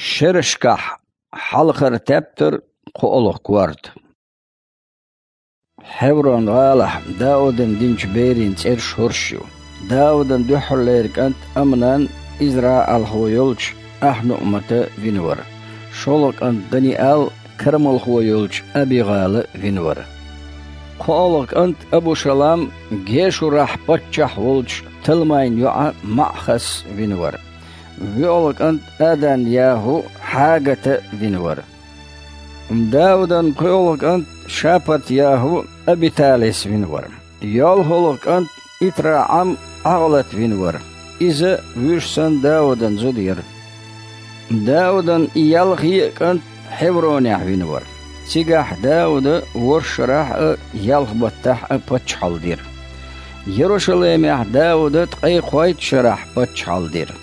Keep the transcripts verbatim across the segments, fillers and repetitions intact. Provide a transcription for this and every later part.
Шерашкахь хьалхара тептар, кхоалгӀа корта. Хьеврон-гӀалахь Даудан динчу берийн цӀераш хӀорш ю. Даудан дуьххьарлера кӀант Амнан ИзраӀалхо йолчу АхьнуӀмата вина вара. ШолгӀа кӀант Даниал кармалхо йолчу АбигӀала вина вара. КхоалгӀа кӀант Абушалам Гешурахь паччахь волчу Талмайн йоӀа МаӀхас вина вара. ВоьалгӀа кӀант Адан-ЯхӀу Хьагата вина вара. Даудан пхоьалгӀа кӀант Шапат-ЯхӀу Абиталис вина вара. ЙолхалгӀа кӀант ИтраӀам ӀаьгӀлат вина вара. Иза вуьш санна Даудан зуда яра. Даудан ялхе а кӀант Хьевронехь вина вара. Цигахь Дауда ворхӀ шарахь а, ялх баттахь а паччахьалла дира. Ярушалаймехь Дауда ткъе кхойтта шарахь паччахьалла дира.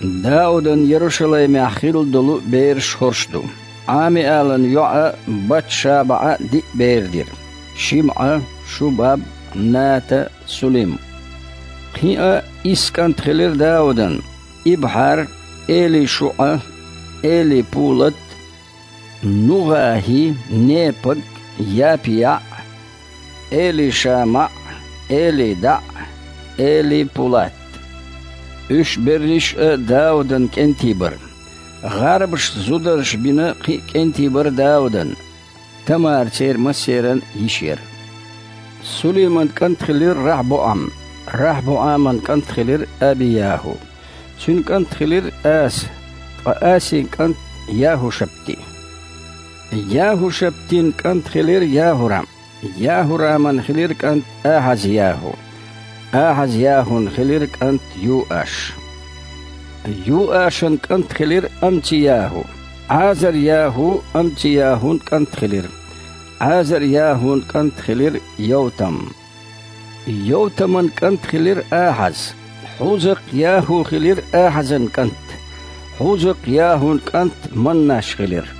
Даудан Ярушалаймехь хилла долу бераш хӀорш ду. Ӏамиалан йоӀа Бат-ШабаӀа диъ бер дира: ШимӀа, Шубаб, Ната, Сулим. Кхин а исс кӀант хилира Даудан: ИбхьарӀ, ЭлишуӀа, Элипулат, НугӀахӀи, Непаг, ЯпиаӀ, ЭлишамаӀ, ЭлидаӀ, Элипулат. Уьш берриш а Даудан кӀентий бара. ГӀарбашца зударша бина кхин а кӀентий бара Даудан. Тамара церан массеран йиш яра. Сулиман кӀант хилира РахьбоӀам, РахьбоӀаман кӀант хилира Аби-ЯхӀу. Цуьнан кӀант хилира Аса, ткъа Асин кӀант ЯхӀушапти. ЯхӀушаптин кӀант хилира ЯхӀурам. ЯхӀураман хилира кӀант Ахьаз-ЯхӀу. Ахьаз-ЯхӀун хилира кӀант Юаш. Юашан кӀант хилира Амци-ЯхӀу. Ӏазар-ЯхӀу Амци-ЯхӀун кӀант хилира. Ӏазар-ЯхӀун кӀант хилира Йовтам. Йовтаман кӀант хилира Ахьаз. Хьузакъ-ЯхӀу хилира Ахьазан кӀант. Хьузакъ-ЯхӀун кӀант Маннаш хилира.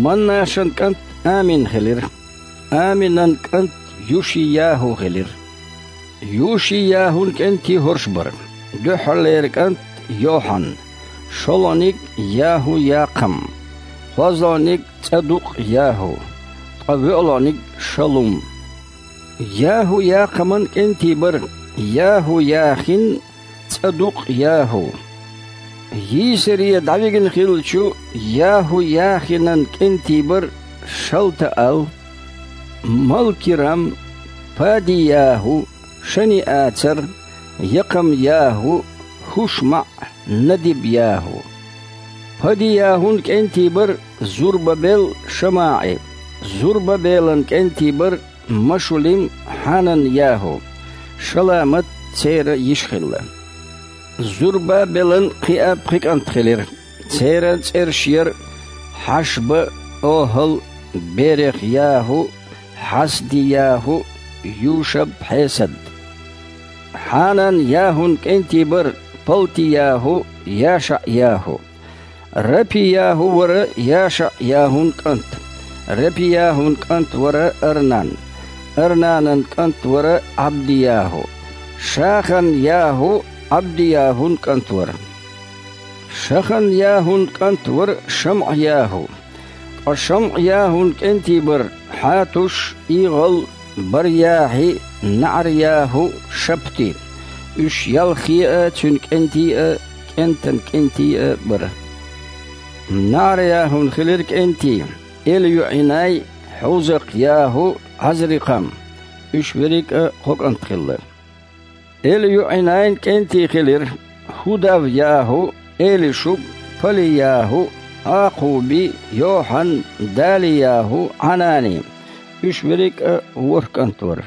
Маннашан кӀант Амин хилира. Аминан кӀант Юши-ЯхӀу хилира. Юши-ЯхӀун кӀентий хӀорш бара: дуьххьарлера кӀант Йохьан, шолгӀаниг ЯхӀу-Якхам, кхозлагӀниг ЦӀадукъ-ЯхӀу, ткъа воьалгӀаниг Шалум. ЯхӀу-Якхаман кӀентий бара: ЯхӀу-Яхин, ЦӀадукъ-ЯхӀу. Йийсаре дӀавигна хиллачу ЯхӀу-Яхинан кӀентий бара Шалтаал, Малкирам, Пади-ЯхӀу, Шани-Ацар, Якхам-ЯхӀу, ХӀушмаӀ, Надиб-ЯхӀу. Пади-ЯхӀун кӀентий бара Зурбабел, ШамаӀи. Зурбабелан кӀентий бара Машулим, Хьанан-ЯхӀу, Шаламат церан йиша хилла. Зурбабелан кхин а пхи кӀант хилира. Церан цӀераш яра: Хьашба, ОхӀал, Берех-ЯхӀу, Хьасди-ЯхӀу, Юшаб-Хьесад. Хьанан-ЯхӀун кӀентий бара Палти-ЯхӀу, ЯшаӀ-ЯхӀу. Рапи-ЯхӀу вара ЯшаӀ-ЯхӀун кӀант. Рапи-ЯхӀун кӀант вара Арнан. Арнанан кӀант вара Ӏабди-ЯхӀу. Шахан-ЯхӀу Ӏабди-ЯхӀун кӀант вара. Шахан-ЯхӀун кӀант вара ШамӀ-ЯхӀу. Ткъа ШамӀ-ЯхӀун кӀентий бара Хьатуш, ИгӀал, Бар-ЯхӀи, НаӀар-ЯхӀу, Шапти. Уьш ялхе а, цуьнан кӀентий а, кӀентан кӀентий а бара. НаӀар-ЯхӀун хилира кӀентий: ЭлюӀинай, Хьузакъ-ЯхӀу, Ӏазрикъам. Уьш верриг а кхо кӀант хилла. ЭлюӀинайн кӀентий хилира: ХӀудав-ЯхӀу, Элишуб, Пали-ЯхӀу, Ӏакхуби, Йохьан, Дали-ЯхӀу, Ӏанани. Уьш верриг а ворхӀ кӀант вара.